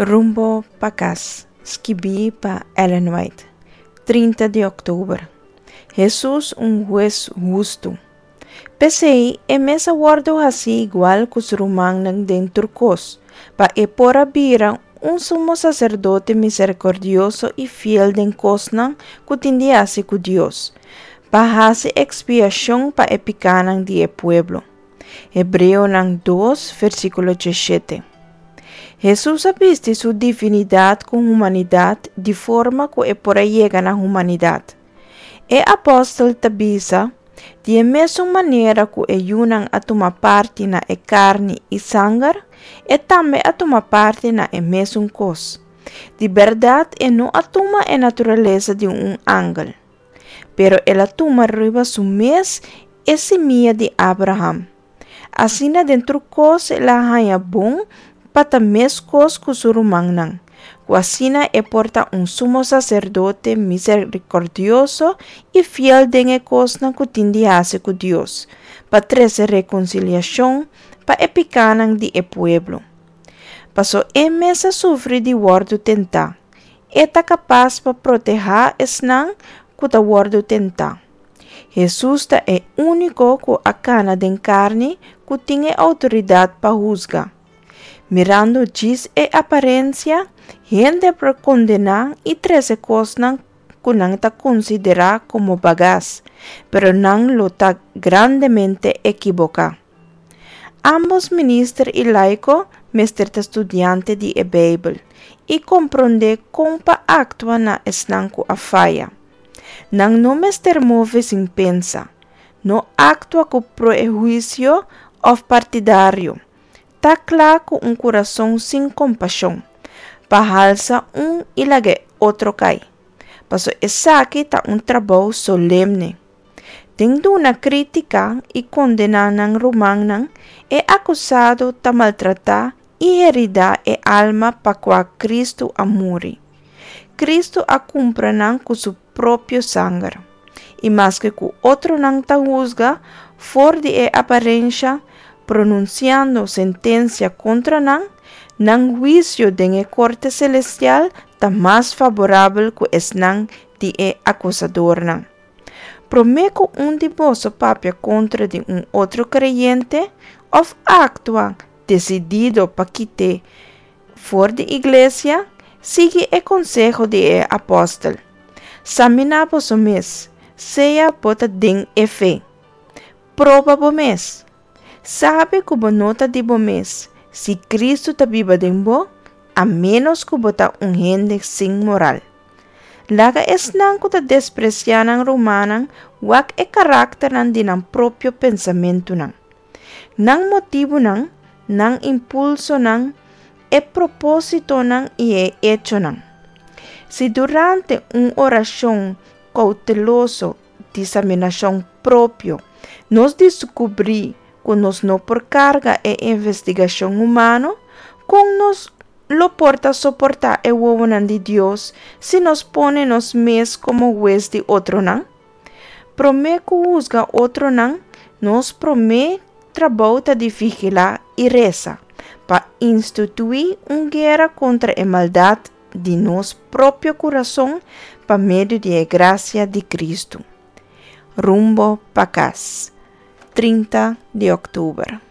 Rumbo pa kas, skibí pa Ellen White, 30 di òktober. Hesus un hues hustu. P'esei, e mes a wòrdu hasí igual ku su rumannan den tur kos, pa e por a bira un sumo saserdote miserikòrdioso i fiel den kosnan ku tin di hasi ku Dios, pa hasi ekspiashon pa e pikánan di e pueblo. Hebreonan 2, versíkulo 17. Hesus a bisti su divinidat ku humanidat di forma ku e por a yega na humanidat. E apòstel ta bisa, Di e mesun manera ku e yunan a tuma parti na e karni i sanger, e tambe a tuma parti na e mesun kos. Di bèrdat e no a tuma e naturalesa di un angel, pero el a tuma riba su mes e simia di Abraham. Asina den tur kos el a haña bon pa ta meskos ku su rumannan, ku asina e por ta un sumo saserdote miserikòrdioso i fiel den e kosnan ku tin di hasi ku Dios, pa trese rekonsiliashon pa e pikánan di e pueblo. Paso e mes a sufri di wòrdu tentá, e ta kapas pa protehá esnan ku ta wòrdu tentá. Hesus ta e úniko ku a kana den karni ku tin e outoridat pa husga. Mirando djis e aparensia, hende por kondená i trese kosnan ku nan ta konsiderá komo bagas, pero nan lo ta grandemente ekiboká. Ámbos minister i laiko mester ta studiante di e Beibel i komprondé kon pa aktua na esnan ku a faya. Nan no mester move sin pensa, no aktua ku prehuisio òf partidario. Ta kla ku un kurason sin kompashon, pa halsa un i laga e otro kai, paso esaki ta un trabou solemne. Den duna krítika i kondená nan rumannan, e akusado ta maltratá i heridá e alma pa kua Kristu a muri. Kristu a kumpra nan ku su propio sanger. I maske ku otronan ta husga for di e aparensha, pronunsiando sentensia kontra nan, nan huisio den e korte selestial ta mas faborabel ku esnan di e akusadornan. Promé ku un di boso papia kontra di un otro kreyente òf aktua desidido pa kit'é for di iglesia, sigui e konseho di e apòstel, Saminá boso mes, sea bo ta den e fe. Proba bo mes. Sabi ku bo no ta di bo mes, si Kristu ta biba den bo, a ménos ku bo ta un hende sin moral. Laga esnan ku ta despresiá nan rumannan wak e karakternan di nan propio pensamentunan. Nan motibunan, nan impulsonan, e propósitonan i e echonan. Si durante un orashon kouteloso di saminashon propio nos diskubrí ku nos no por karga e investigashon humano, kon nos lo por ta soportá e wowonan di Dios si nos pone nos mes komo hues di otronan? Promé ku husga otronan, nos promé trabou ta di vigilá i resa pa instituí un guera kontra e maldat di nos propio kurason pa medio di e grasia di Kristu. Rumbo pa kas, 30 di òktober.